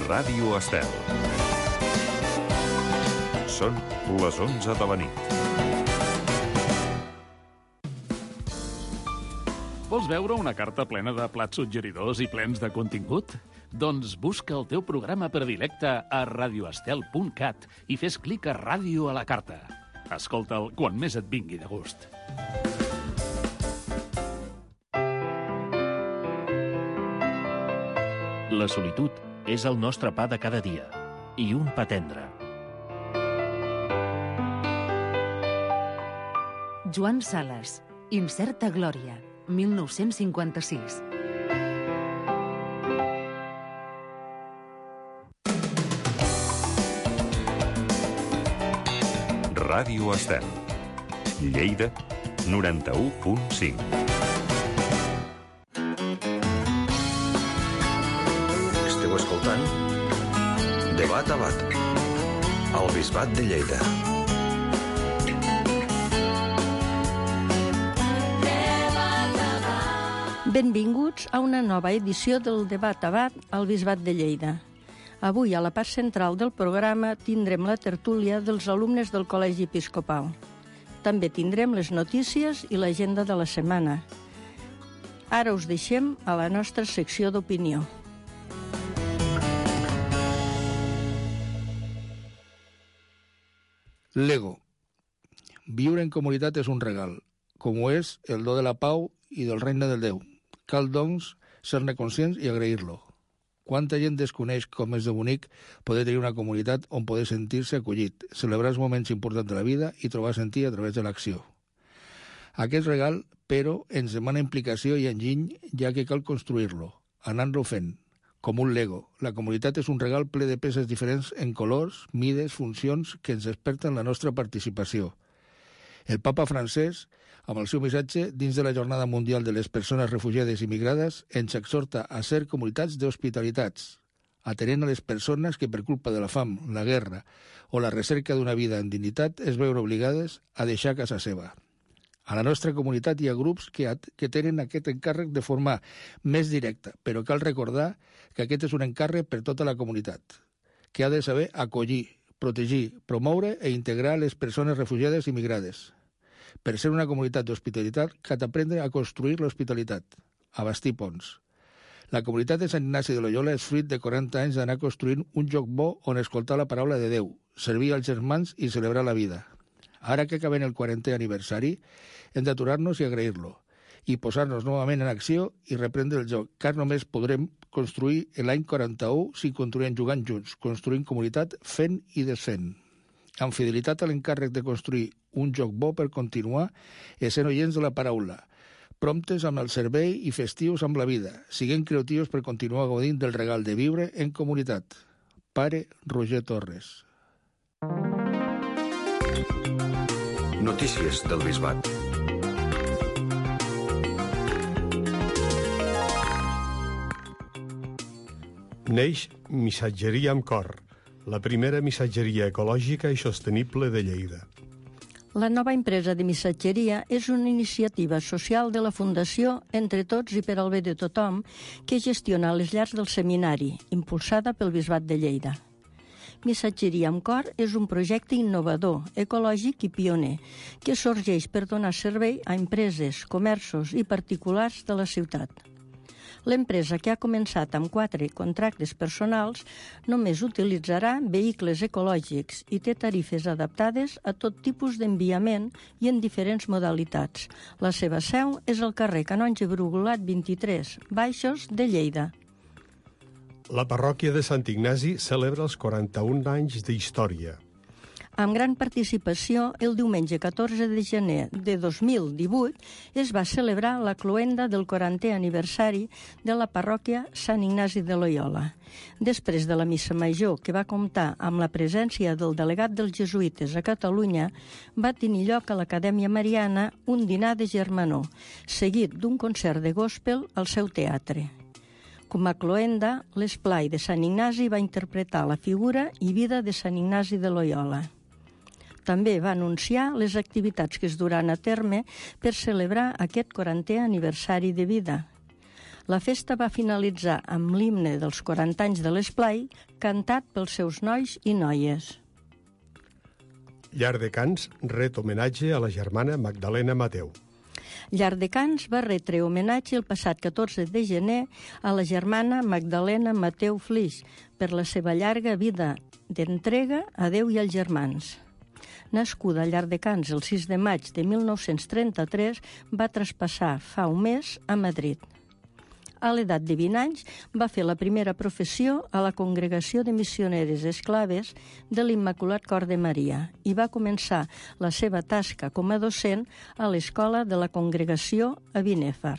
Ràdio Estel. Són les 11 de la nit. Vols veure una carta plena de plats suggeridors i plens de contingut? Doncs busca el teu programa predilecte a radioestel.cat i fes clic a Ràdio a la carta. Escolta'l quan més et vingui de gust. La solitud és el nostre pa de cada dia, i un pa tendre. Joan Sales, Incerta glòria, 1956. Ràdio Estel. Lleida, 91.5. Esteu escoltant Debat a Bat, al Bisbat de Lleida. Benvinguts a una nova edició del Debat a Bat al Bisbat de Lleida. Avui, a la part central del programa, tindrem la tertúlia dels alumnes del Col·legi Episcopal. També tindrem les notícies i l'agenda de la setmana. Ara us deixem a la nostra secció d'opinió. Lego. Viure en comunitat és un regal, com ho és el do de la pau i del regne del Déu. Cal, doncs, ser-ne conscients i agrair-lo. Quanta gent desconeix com és de bonic poder tenir una comunitat on poder sentir-se acollit, celebrar els moments importants de la vida i trobar sentit a través de l'acció. Aquest regal, però, ens demana implicació i enginy, ja que cal construir-lo, anant-lo fent, com un Lego. La comunitat és un regal ple de peces diferents en colors, mides, funcions que ens desperten la nostra participació. El papa francès, amb el seu missatge dins de la Jornada Mundial de les Persones Refugiades i Migrades, ens exhorta a ser comunitats d'hospitalitats, atenent a les persones que per culpa de la fam, la guerra o la recerca d'una vida en dignitat es veuen obligades a deixar casa seva. A la nostra comunitat hi ha grups que tenen aquest encàrrec de forma més directa, però cal recordar que aquest és un encàrrec per tota la comunitat, que ha de saber acollir, protegir, promoure i integrar les persones refugiades i migrades. Per ser una comunitat d'hospitalitat, cal aprendre a construir l'hospitalitat, a bastir ponts. La comunitat de Sant Ignasi de Loyola és fruit de 40 anys d'anar construint un lloc bo on escoltar la paraula de Déu, servir als germans i celebrar la vida. Ara que acabem el 40è aniversari, hem d'aturar-nos i agrair-lo, i posar-nos novament en acció i reprendre el joc, car només podrem construir l'any 41 si continuem jugant junts, construint comunitat, fent i desfent. Amb fidelitat a l'encàrrec de construir un joc bo per continuar essent oients de la paraula, promptes amb el servei i festius amb la vida, siguent creatius per continuar gaudint del regal de viure en comunitat. Pare Roger Torres. Notícies del Bisbat. Neix Missatgeria amb Cor, la primera missatgeria ecològica i sostenible de Lleida. La nova empresa de missatgeria és una iniciativa social de la Fundació Entre Tots i per al bé de tothom que gestiona les llars del seminari, impulsada pel Bisbat de Lleida. Missatgeria amb Cor és un projecte innovador, ecològic i pioner, que sorgeix per donar servei a empreses, comerços i particulars de la ciutat. L'empresa, que ha començat amb 4 contractes personals, només utilitzarà vehicles ecològics i té tarifes adaptades a tot tipus d'enviament i en diferents modalitats. La seva seu és al carrer Canonge Brugulat 23, Baixos de Lleida. La parròquia de Sant Ignasi celebra els 41 anys d'història. Amb gran participació, el diumenge 14 de gener de 2018 es va celebrar la cloenda del 40è aniversari de la parròquia Sant Ignasi de Loyola. Després de la missa major, que va comptar amb la presència del delegat dels jesuïtes a Catalunya, va tenir lloc a l'Acadèmia Mariana un dinar de germanor, seguit d'un concert de gospel al seu teatre. Com a cloenda, l'esplai de Sant Ignasi va interpretar la figura i vida de Sant Ignasi de Loyola. També va anunciar les activitats que es duran a terme per celebrar aquest 40è aniversari de vida. La festa va finalitzar amb l'himne dels 40 anys de l'Esplai, cantat pels seus nois i noies. Llardecans ret homenatge a la germana Magdalena Mateu. Llardecans va retre homenatge el passat 14 de gener a la germana Magdalena Mateu Flix per la seva llarga vida d'entrega a Déu i als germans. Nascuda a Llardecans el 6 de maig de 1933, va traspassar fa un mes a Madrid. A l'edat de 20 anys va fer la primera professió a la Congregació de Missioneres Esclaves de l'Immaculat Cor de Maria i va començar la seva tasca com a docent a l'escola de la Congregació a Binèfar.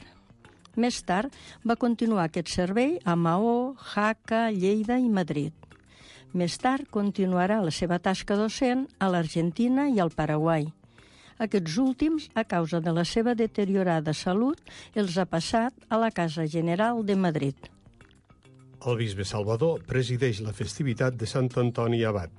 Més tard va continuar aquest servei a Maó, Jaca, Lleida i Madrid. Més tard continuarà la seva tasca docent a l'Argentina i al Paraguai. Aquests últims, a causa de la seva deteriorada salut, els ha passat a la Casa General de Madrid. El bisbe Salvador presideix la festivitat de Sant Antoni Abat.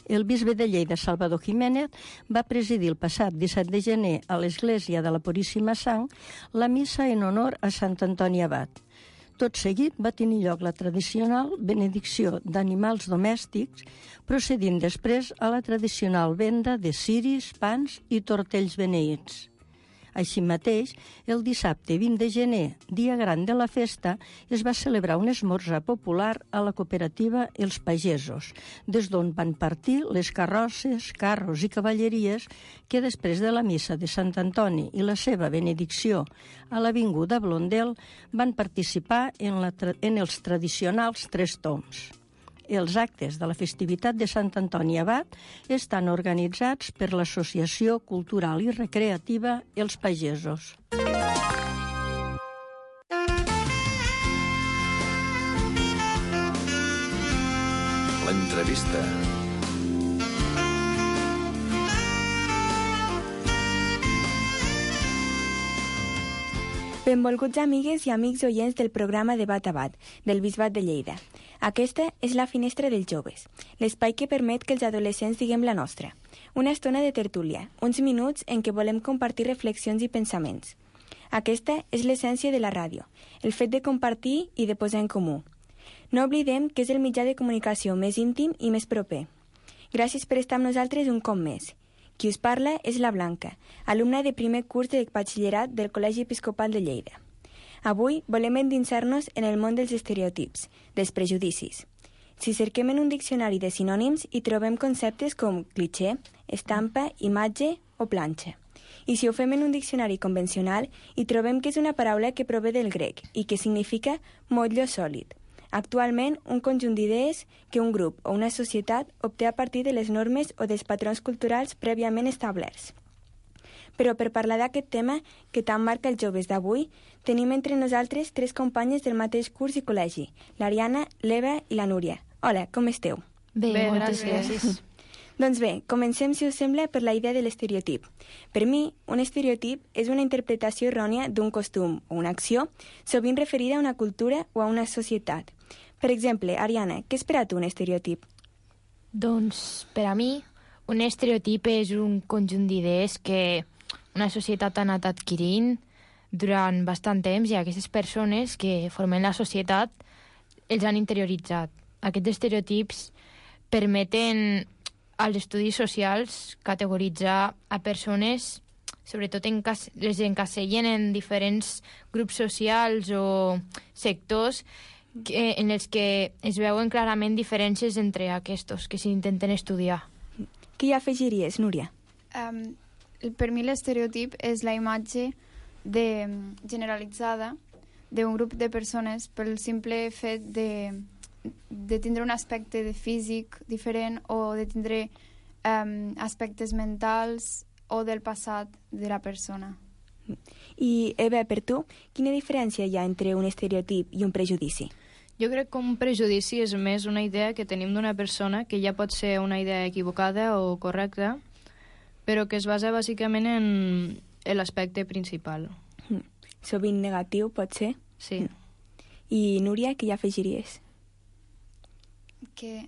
El bisbe de Lleida, Salvador Jiménez, va presidir el passat 17 de gener a l'Església de la Puríssima Sang la missa en honor a Sant Antoni Abat. Tot seguit va tenir lloc la tradicional benedicció d'animals domèstics, procedint després a la tradicional venda de ciris, pans i tortells beneïts. Així mateix, el dissabte 20 de gener, dia gran de la festa, es va celebrar un esmorzar popular a la cooperativa Els Pagesos, des d'on van partir les carrosses, carros i cavalleries que després de la missa de Sant Antoni i la seva benedicció a l'avinguda Blondel van participar en els tradicionals 3 tombs. Els actes de la festivitat de Sant Antoni Abat estan organitzats per l'Associació Cultural i Recreativa Els Pagesos. L'entrevista. Benvolguts amigues i amics oients del programa Debat a Bat, del Bisbat de Lleida. Aquesta és la finestra dels joves, l'espai que permet que els adolescents diguem la nostra. Una estona de tertúlia, uns minuts en què volem compartir reflexions i pensaments. Aquesta és l'essència de la ràdio, el fet de compartir i de posar en comú. No oblidem que és el mitjà de comunicació més íntim i més proper. Gràcies per estar amb nosaltres un cop més. Qui us parla és la Blanca, alumna de primer curs de batxillerat del Col·legi Episcopal de Lleida. Avui volem endinsar-nos en el món dels estereotips, dels prejudicis. Si cerquem en un diccionari de sinònims hi trobem conceptes com cliché, estampa, imatge o planxa. I si ho fem en un diccionari convencional hi trobem que és una paraula que prové del grec i que significa motlle sòlid. Actualment, un conjunt d'idees que un grup o una societat obté a partir de les normes o dels patrons culturals prèviament establerts. Però per parlar d'aquest tema que tant marca els joves d'avui, tenim entre nosaltres 3 companyes del mateix curs i col·legi, l'Ariana, l'Eva i la Núria. Hola, com esteu? Bé, moltes gràcies. Doncs bé, comencem, si us sembla, per la idea de l'estereotip. Per mi, un estereotip és una interpretació errònia d'un costum o una acció, sovint referida a una cultura o a una societat. Per exemple, Ariana, què és per a tu un estereotip? Doncs, per a mi, un estereotip és un conjunt d'idees que una societat ha anat adquirint durant bastant temps i aquestes persones que formen la societat els han interioritzat. Aquests estereotips permeten als estudis socials categoritzar a persones, sobretot les encasellen en diferents grups socials o sectors en els que es veuen clarament diferències entre aquests que s'intenten estudiar. Què hi afegiries, Núria? Per mi l'estereotip és la imatge generalitzada d'un grup de persones pel simple fet de tindre un aspecte de físic diferent o de tindre aspectes mentals o del passat de la persona. I, Eva, per tu, quina diferència hi ha entre un estereotip i un prejudici? Jo crec que un prejudici és més una idea que tenim d'una persona que ja pot ser una idea equivocada o correcta, però que es basa bàsicament en l'aspecte principal. Sovint negatiu, pot ser? Sí. I, Núria, què hi afegiries? Que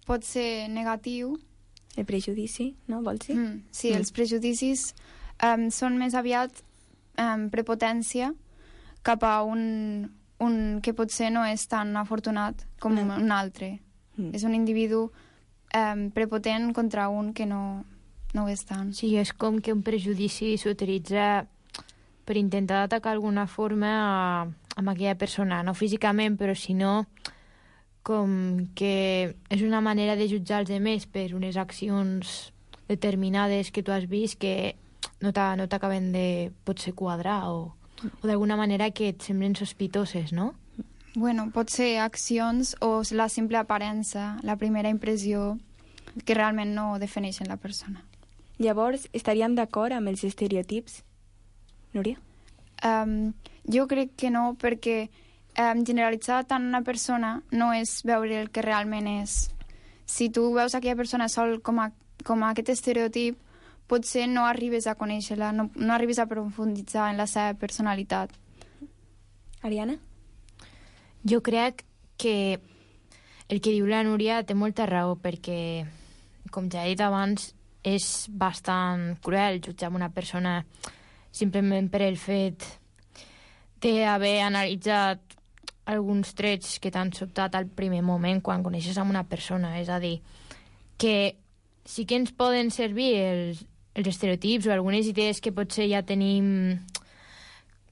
pot ser negatiu. El prejudici, no? Vols dir? Sí, els prejudicis són més aviat prepotència cap a un que potser no és tan afortunat com un altre. És un individu prepotent contra un que no ho és tant. Sí, és com que un prejudici s'utilitza per intentar atacar d'alguna forma amb aquella persona, no físicament, però sinó com que és una manera de jutjar els altres per unes accions determinades que tu has vist que no t'acaben de potser quadrar o d'alguna manera que et semblen sospitoses, no? Bueno, pot ser accions o la simple aparença, la primera impressió que realment no defineixen la persona. Llavors, estaríem d'acord amb els estereotips? Núria? Jo crec que no, perquè generalitzar tant una persona no és veure el que realment és. Si tu veus aquella persona sol com aquest estereotip, potser no arribes a conèixer-la, no arribes a profunditzar en la seva personalitat. Ariana? Jo crec que el que diu la Núria té molta raó, perquè, com ja he dit abans, és bastant cruel jutjar una persona simplement per el fet d'haver analitzat alguns trets que t'han sobtat al primer moment quan coneixes amb una persona. És a dir, que sí que ens poden servir els estereotips o algunes idees que potser ja tenim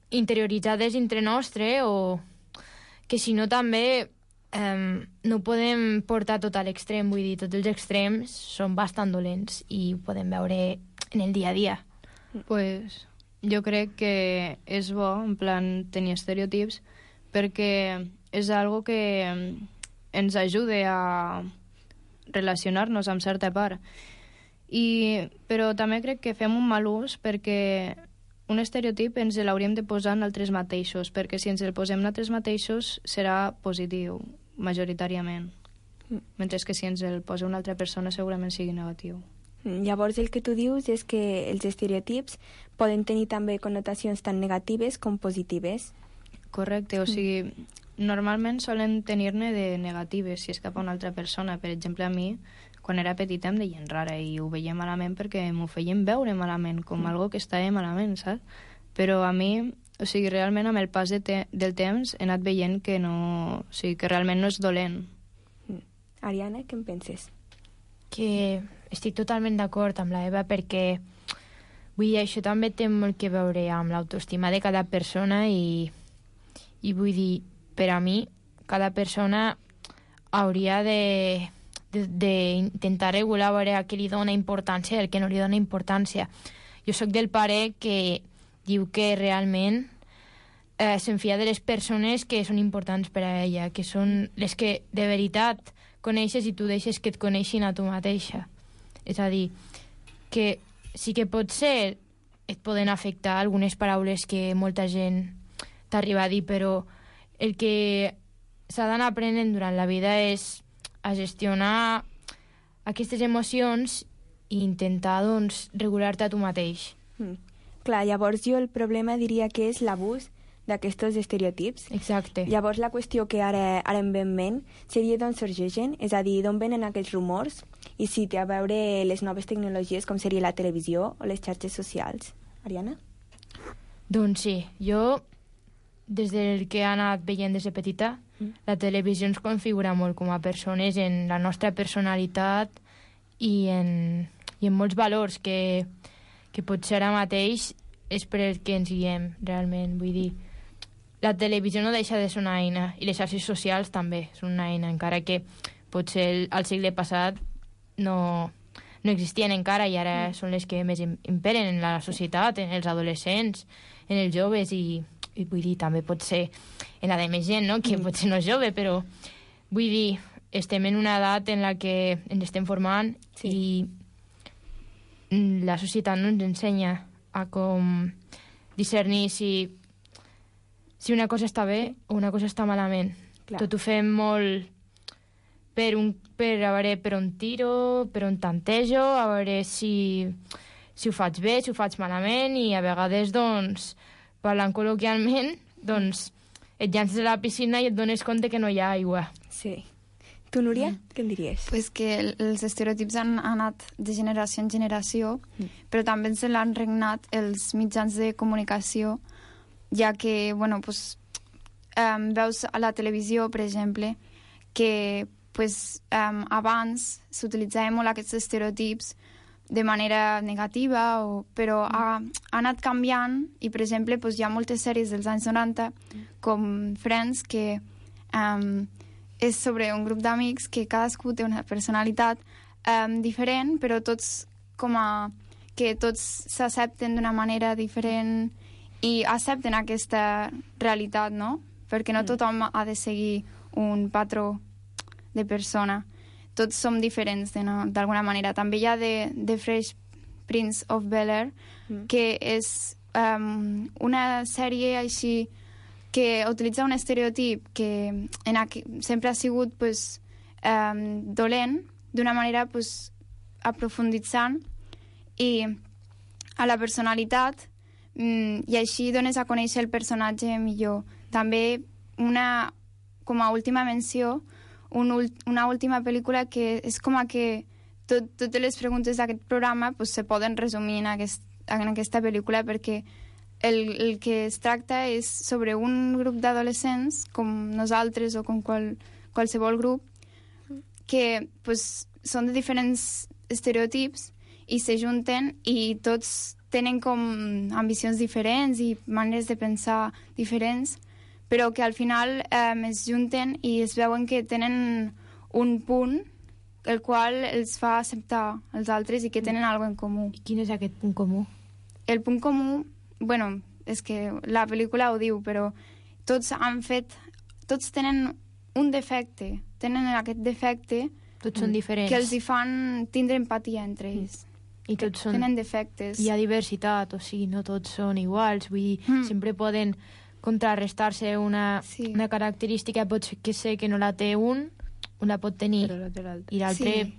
interioritzades entre nostre, o que si no també no podem portar tot a l'extrem. Vull dir, tots els extrems són bastant dolents i ho podem veure en el dia a dia. Pues jo crec que és bo, en plan, tenir estereotips, perquè és algo que ens ajuda a relacionar-nos amb certa part. Però també crec que fem un mal ús, perquè un estereotip ens l'hauríem de posar en altres mateixos, perquè si ens el posem en altres mateixos serà positiu, majoritàriament. Mentre que si ens el posa una altra persona segurament sigui negatiu. Llavors el que tu dius és que els estereotips poden tenir també connotacions tan negatives com positives. Correcte, o sigui, normalment solen tenir-ne de negatives si és cap a una altra persona. Per exemple, a mi, quan era petita em deien rara i ho veia malament perquè m'ho feien veure malament, com algo que estava malament, saps? Però a mi, o sigui, realment amb el pas del temps he anat veient que no, o sigui, que realment no és dolent. Ariana, què en penses? Que estic totalment d'acord amb la Eva, perquè vull dir, això també té molt que veure amb l'autoestima de cada persona i vull dir, per a mi, cada persona hauria d'intentar regular a veure a què li dona importància i el que no li dona importància. Jo sóc del pare que diu que realment se'n fia de les persones que són importants per a ella, que són les que de veritat coneixes i tu deixes que et coneixin a tu mateixa. És a dir, que sí que potser et poden afectar algunes paraules que molta gent t'arriba a dir, però el que s'ha d'anar aprenent durant la vida és a gestionar aquestes emocions i intentar, doncs, regular-te a tu mateix. Clar, llavors jo el problema diria que és l'abús d'aquests estereotips. Exacte. Llavors la qüestió que ara em ve en ment seria d'on sorgeixen, és a dir, d'on venen aquests rumors i si té a veure les noves tecnologies com seria la televisió o les xarxes socials. Ariana? Doncs sí, jo des del que he anat veient des de petita, la televisió ens configura molt com a persones en la nostra personalitat i en molts valors que potser ara mateix és per el que ens guiem realment. Vull dir, la televisió no deixa de ser una eina i les xarxes socials també són una eina, encara que potser al segle passat no existien encara i ara són les que més imperen en la societat, en els adolescents, en els joves i vull dir, també pot ser en la de més gent, no? Que potser no és jove, però vull dir, estem en una edat en la que ens estem formant i la societat no ens ensenya a com discernir si una cosa està bé o una cosa està malament. Clar. Tot ho fem molt per a veure per on tiro, per on tantejo, a veure si ho faig bé, si ho faig malament, i a vegades, doncs, parlant col·loquialment, doncs, et llances a la piscina i et dones compte que no hi ha aigua. Sí. Tu, Núria, què en diries? Pues que els estereotips han anat de generació en generació, però també se l'han regnat els mitjans de comunicació ja que, bueno, pues, veus a la televisió, per exemple, que pues, abans s'utilitzaven molt aquests estereotips de manera negativa, però ha anat canviant i, per exemple, pues, hi ha moltes sèries dels anys 90, com Friends, que és sobre un grup d'amics que cadascú té una personalitat diferent, però tots que tots s'accepten d'una manera diferent i accepten aquesta realitat, no? Perquè no tothom ha de seguir un patró de persona. Tots som diferents d'alguna manera. També hi ha The Fresh Prince of Bel-Air, que és una sèrie així que utilitza un estereotip que sempre ha sigut pues, dolent, d'una manera pues, aprofunditzant i a la personalitat i així dones a conèixer el personatge millor. També com a última menció, una última pel·lícula que és com que totes les preguntes d'aquest programa pues, se poden resumir en aquesta pel·lícula perquè el que es tracta és sobre un grup d'adolescents com nosaltres o com qualsevol grup que pues, són de diferents estereotips i s'ajunten i tots tenen com ambicions diferents i maneres de pensar diferents, però que al final es junten i es veuen que tenen un punt el qual els fa acceptar els altres i que tenen alguna cosa en comú. I quin és aquest punt comú? El punt comú, bueno, és que la pel·lícula ho diu, però tots tenen un defecte, tenen aquest defecte tots són diferents. Que els hi fan tindre empatia entre ells. I tots són... Tenen defectes. Hi ha diversitat, o sigui, no tots són iguals, vull dir, sempre poden contrarrestar-se una característica, pot ser que no la té un la pot tenir, i l'altre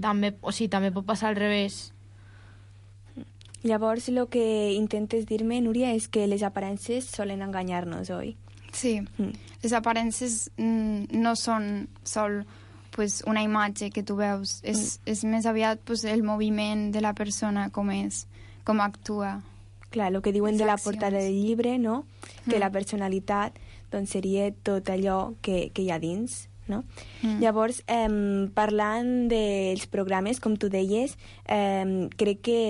també, o sigui, també pot passar al revés. Llavors, el que intentes dir-me, Núria, és que les aparences solen enganyar-nos, oi? Sí, les aparences no són sol pues, una imatge que tu veus, és més aviat pues, el moviment de la persona, com és, com actua. Clar, el que diuen de la portada del llibre, no? Que la personalitat doncs, seria tot allò que hi ha dins, no? Llavors, parlant dels programes, com tu deies, crec que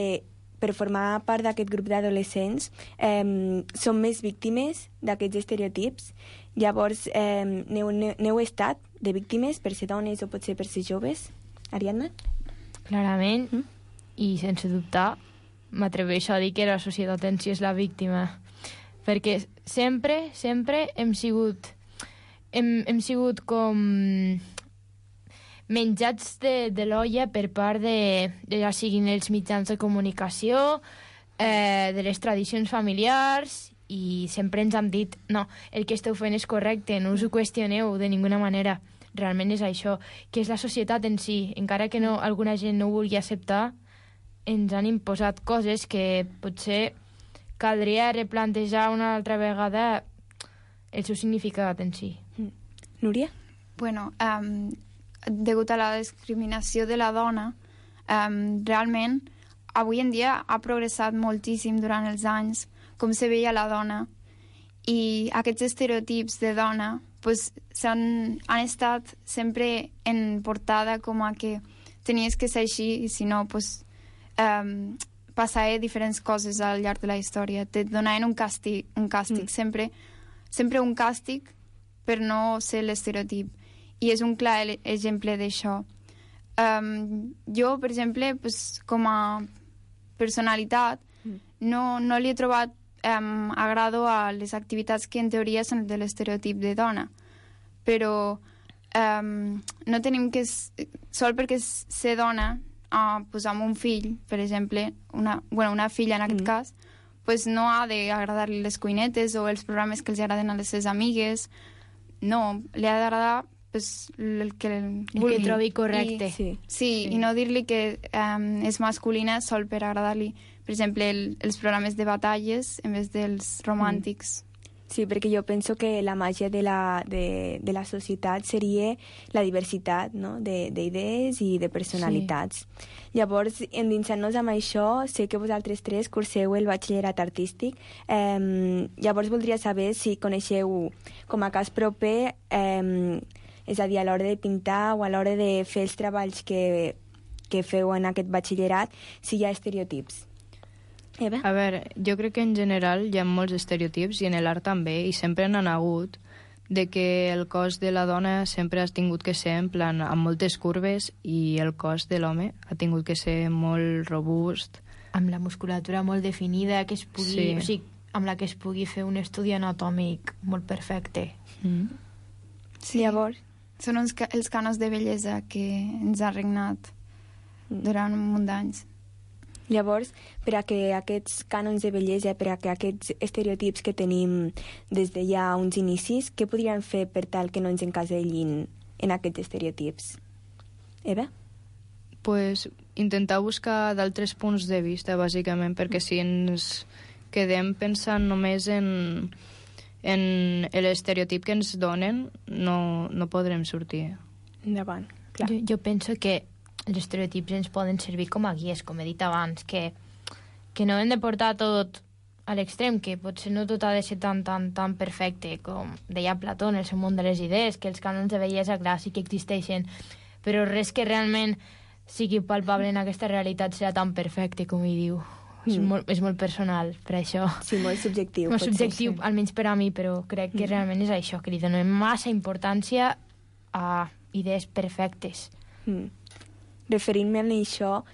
per formar part d'aquest grup d'adolescents som més víctimes d'aquests estereotips. Llavors, n'heu estat de víctimes per ser dones o potser per ser joves? Ariadna? Clarament, i sense dubtar, m'atreveixo a dir que la societat en si és la víctima. Perquè sempre hem sigut com menjats de l'olla per part ja siguin els mitjans de comunicació, de les tradicions familiars, i sempre ens han dit no, el que esteu fent és correcte, no us ho qüestioneu de ninguna manera. Realment és això, que és la societat en si. Encara que alguna gent no ho vulgui acceptar, ens han imposat coses que potser caldria replantejar una altra vegada el seu significat en si. Núria? Bueno, degut a la discriminació de la dona, realment, avui en dia ha progressat moltíssim durant els anys com se veia la dona i aquests estereotips de dona pues, han estat sempre en portada com a que tenies que ser així i si no, pues, passava diferents coses al llarg de la història. Te donaven un càstig sempre un càstig per no ser l'estereotip. I és un clar exemple d'això. Jo, per exemple, pues, com a personalitat, no li he trobat agrado a les activitats que en teoria són de l'estereotip de dona. Però no tenim que... Sol perquè ser dona, pues, amb un fill, per exemple, una filla en aquest cas, pues, no ha d'agradar-li les cuinetes o els programes que els agraden a les seves amigues. No, li ha d'agradar pues, el que vulgui. El que trobi correcte. Sí, i no dir-li que és masculina sol per agradar-li, per exemple, els programes de batalles en vez dels romàntics. Sí, perquè jo penso que la màgia de la societat seria la diversitat, no?, d'idees i de personalitats. Sí. Llavors, endinsant-nos amb això, sé que vosaltres tres curseu el batxillerat artístic. Llavors voldria saber si coneixeu com a cas proper, és a dir, a l'hora de pintar o a l'hora de fer els treballs que feu en aquest batxillerat, si hi ha estereotips. Eva? A veure, jo crec que en general hi ha molts estereotips i en l'art també, i sempre n'han hagut, de que el cos de la dona sempre ha tingut que ser en plan amb moltes curves i el cos de l'home ha tingut que ser molt robust. Amb la musculatura molt definida, que es pugui, sí. O sigui, amb la que es pugui fer un estudi anatòmic molt perfecte. Sí, llavors, són els cànons de bellesa que ens ha regnat durant un munt d'anys. Llavors, per a que aquests cànons de bellesa, per a que aquests estereotips que tenim des de ja uns inicis, què podríem fer per tal que no ens encasellin en aquests estereotips? Eva? Pues intentar buscar d'altres punts de vista, bàsicament, perquè si ens quedem pensant només en l'estereotip que ens donen, no podrem sortir. Endavant, clar. Jo penso que els estereotips ens poden servir com a guies, com he dit abans, que no hem de portar tot a l'extrem, que potser no tot ha de ser tan perfecte, com deia Plató en el seu món de les idees, que els cànons de bellesa, clar, sí que existeixen, però res que realment sigui palpable en aquesta realitat serà tan perfecte com hi diu. És molt personal, per això. Sí, molt subjectiu. Molt subjectiu, almenys per a mi, però crec que realment és això, que li donem massa importància a idees perfectes. Referint-me a això,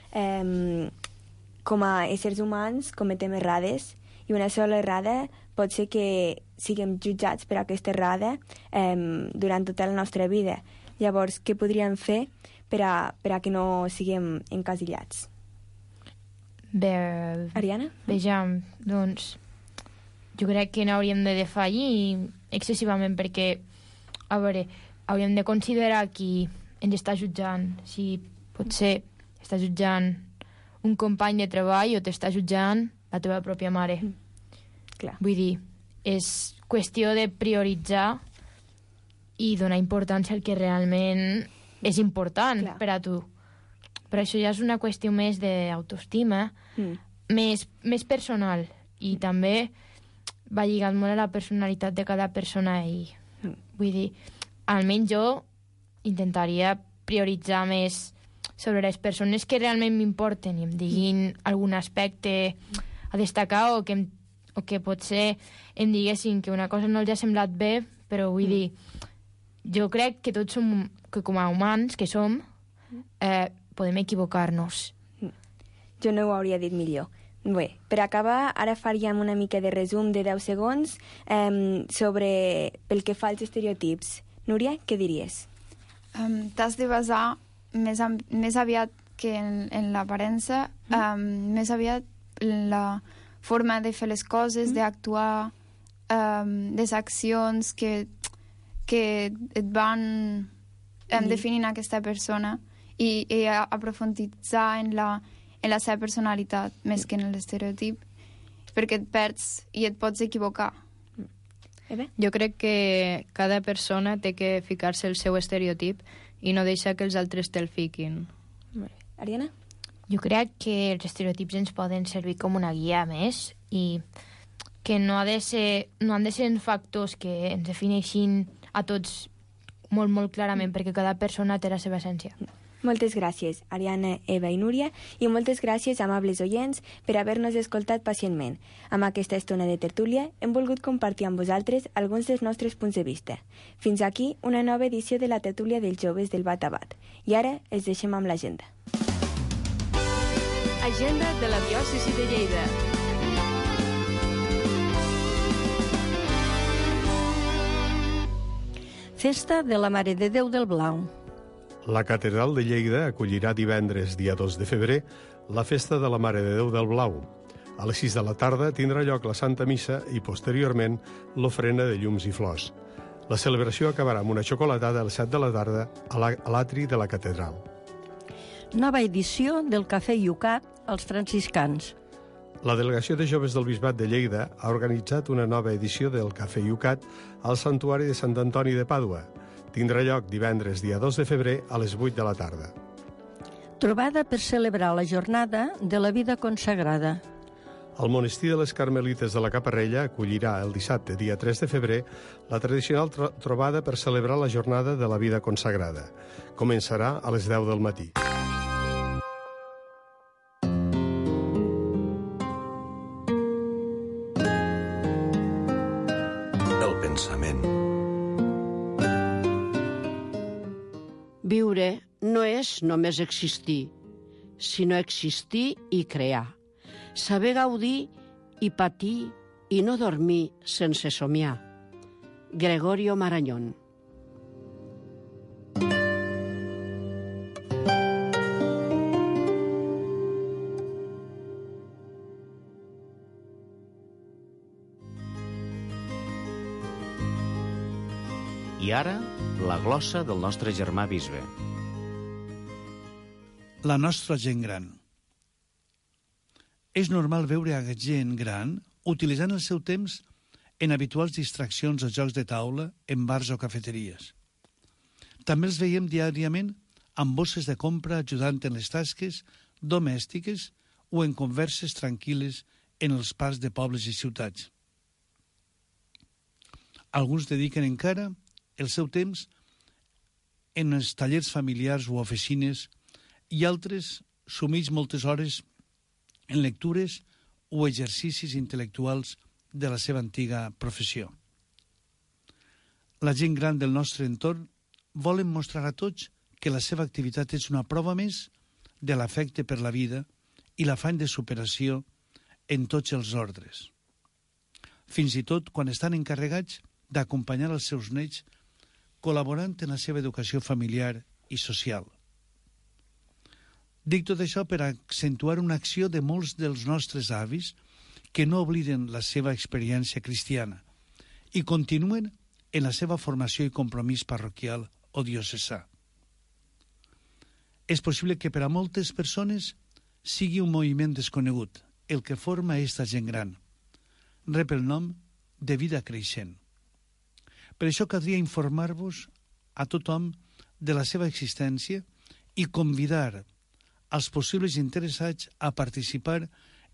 com a éssers humans cometem errades, i una sola errada pot ser que siguem jutjats per aquesta errada durant tota la nostra vida. Llavors, què podríem fer per a que no siguem encasillats? Bé, Ariana? Vejam, doncs, jo crec que no hauríem de defallir excessivament perquè, a veure, hauríem de considerar qui ens està jutjant, si potser està jutjant un company de treball o t'està jutjant la teva pròpia mare. Clar. Vull dir, és qüestió de prioritzar i donar importància al que realment és important per a tu. Però això ja és una qüestió més d'autoestima, més personal, i també va lligat molt a la personalitat de cada persona i vull dir, almenys jo intentaria prioritzar més sobre les persones que realment m'importen i em diguin algun aspecte a destacar o que potser em diguessin que una cosa no els ha semblat bé, però vull dir, jo crec que tots som, que com a humans que som, podem equivocar-nos. Jo no ho hauria dit millor. Bé, per acabar, ara faríem una mica de resum de 10 segons pel que fa als estereotips. Núria, què diries? T'has de basar més aviat que en l'aparença, més aviat la forma de fer les coses, d'actuar, les accions que et van definint aquesta persona i aprofunditzar en la seva personalitat més que en l'estereotip, perquè et perds i et pots equivocar. Jo crec que cada persona té que ficar-se el seu estereotip i no deixar que els altres te'l fiquin. Ariana? Jo crec que els estereotips ens poden servir com una guia més i que no han de ser factors que ens defineixin a tots molt, molt clarament, perquè cada persona té la seva essència. Moltes gràcies, Ariana, Eva i Núria, i moltes gràcies, amables oients, per haver-nos escoltat pacientment. Amb aquesta estona de tertúlia hem volgut compartir amb vosaltres alguns dels nostres punts de vista. Fins aquí una nova edició de la tertúlia dels joves del Bat a Bat. I ara els deixem amb l'agenda. Agenda de la diòcesi de Lleida. Festa de la Mare de Déu del Blau. La Catedral de Lleida acollirà divendres, dia 2 de febrer, la Festa de la Mare de Déu del Blau. A les 6 de la tarda tindrà lloc la Santa Missa i, posteriorment, l'ofrena de llums i flors. La celebració acabarà amb una xocolatada a les 7 de la tarda a l'atri de la Catedral. Nova edició del Cafè Iucat als franciscans. La Delegació de Joves del Bisbat de Lleida ha organitzat una nova edició del Cafè Iucat al Santuari de Sant Antoni de Pàdua. Tindrà lloc divendres, dia 2 de febrer, a les 8 de la tarda. Trobada per celebrar la jornada de la vida consagrada. El monestir de les Carmelites de la Caparrella acollirà el dissabte, dia 3 de febrer, la tradicional trobada per celebrar la jornada de la vida consagrada. Començarà a les 10 del matí. El pensament. Viure no és només existir, sinó existir i crear. Saber gaudir i patir i no dormir sense somiar. Gregorio Marañón. I ara, la glossa del nostre germà bisbe. La nostra gent gran. És normal veure a gent gran utilitzant el seu temps en habituals distraccions o jocs de taula en bars o cafeteries. També els veiem diàriament amb bosses de compra ajudant en les tasques domèstiques o en converses tranquil·les en els parcs de pobles i ciutats. Alguns dediquen encara el seu temps en els tallers familiars o oficines i altres sumits moltes hores en lectures o exercicis intel·lectuals de la seva antiga professió. La gent gran del nostre entorn volen mostrar a tots que la seva activitat és una prova més de l'afecte per la vida i l'afany de superació en tots els ordres. Fins i tot quan estan encarregats d'acompanyar els seus nets col·laborant en la seva educació familiar i social. Dic tot això per accentuar una acció de molts dels nostres avis que no obliden la seva experiència cristiana i continuen en la seva formació i compromís parroquial o diocesà. És possible que per a moltes persones sigui un moviment desconegut, el que forma aquesta gent gran. Rep el nom de vida creixent. Per això caldria informar-vos a tothom de la seva existència i convidar als possibles interessats a participar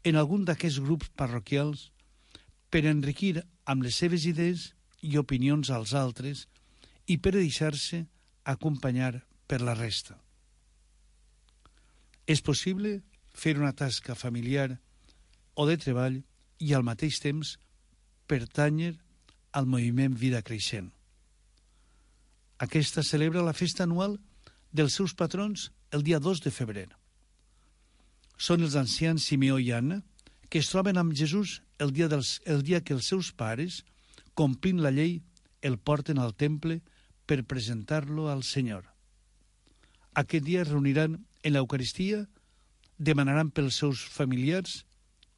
en algun d'aquests grups parroquials per enriquir amb les seves idees i opinions als altres i per deixar-se acompanyar per la resta. És possible fer una tasca familiar o de treball i al mateix temps pertànyer al moviment Vida Creixent. Aquesta celebra la festa anual dels seus patrons el dia 2 de febrer. Són els ancians Simeó i Anna, que es troben amb Jesús el dia que els seus pares, complint la llei, el porten al temple per presentar-lo al Senyor. Aquest dia es reuniran en l'Eucaristia, demanaran pels seus familiars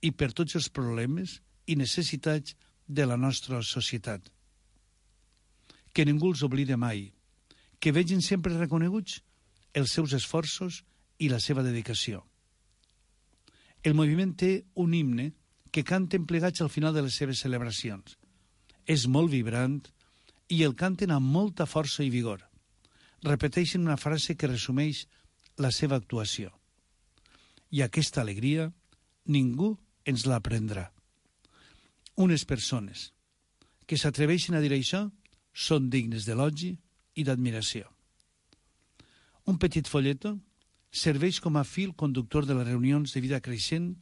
i per tots els problemes i necessitats de la nostra societat. Que ningú els oblide mai, que vegin sempre reconeguts els seus esforços i la seva dedicació. El moviment té un himne que canten plegats al final de les seves celebracions. És molt vibrant i el canten amb molta força i vigor. Repeteixen una frase que resumeix la seva actuació. I aquesta alegria ningú ens la prendrà. Unes persones que s'atreveixen a dir això són dignes d'elogi i d'admiració. Un petit folleto serveix com a fil conductor de les reunions de vida creixent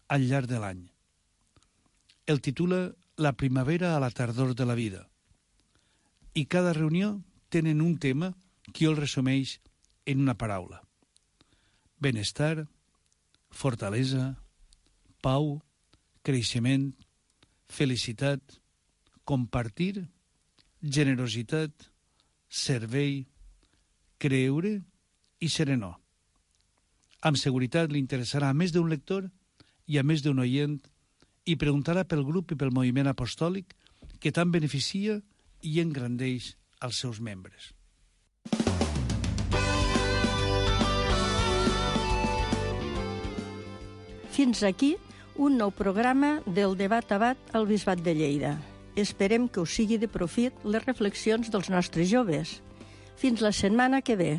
al llarg de l'any. El titula La primavera a la tardor de la vida. I cada reunió tenen un tema que el resumeix en una paraula. Benestar, fortalesa, pau, creixement, felicitat, compartir, generositat, servei, creure i serenor. Amb seguretat li interessarà a més d'un lector i a més d'un oient i preguntarà pel grup i pel moviment apostòlic que tant beneficia i engrandeix als seus membres. Fins aquí un nou programa del Debat a Bat al Bisbat de Lleida. Esperem que us sigui de profit les reflexions dels nostres joves. Fins la setmana que ve.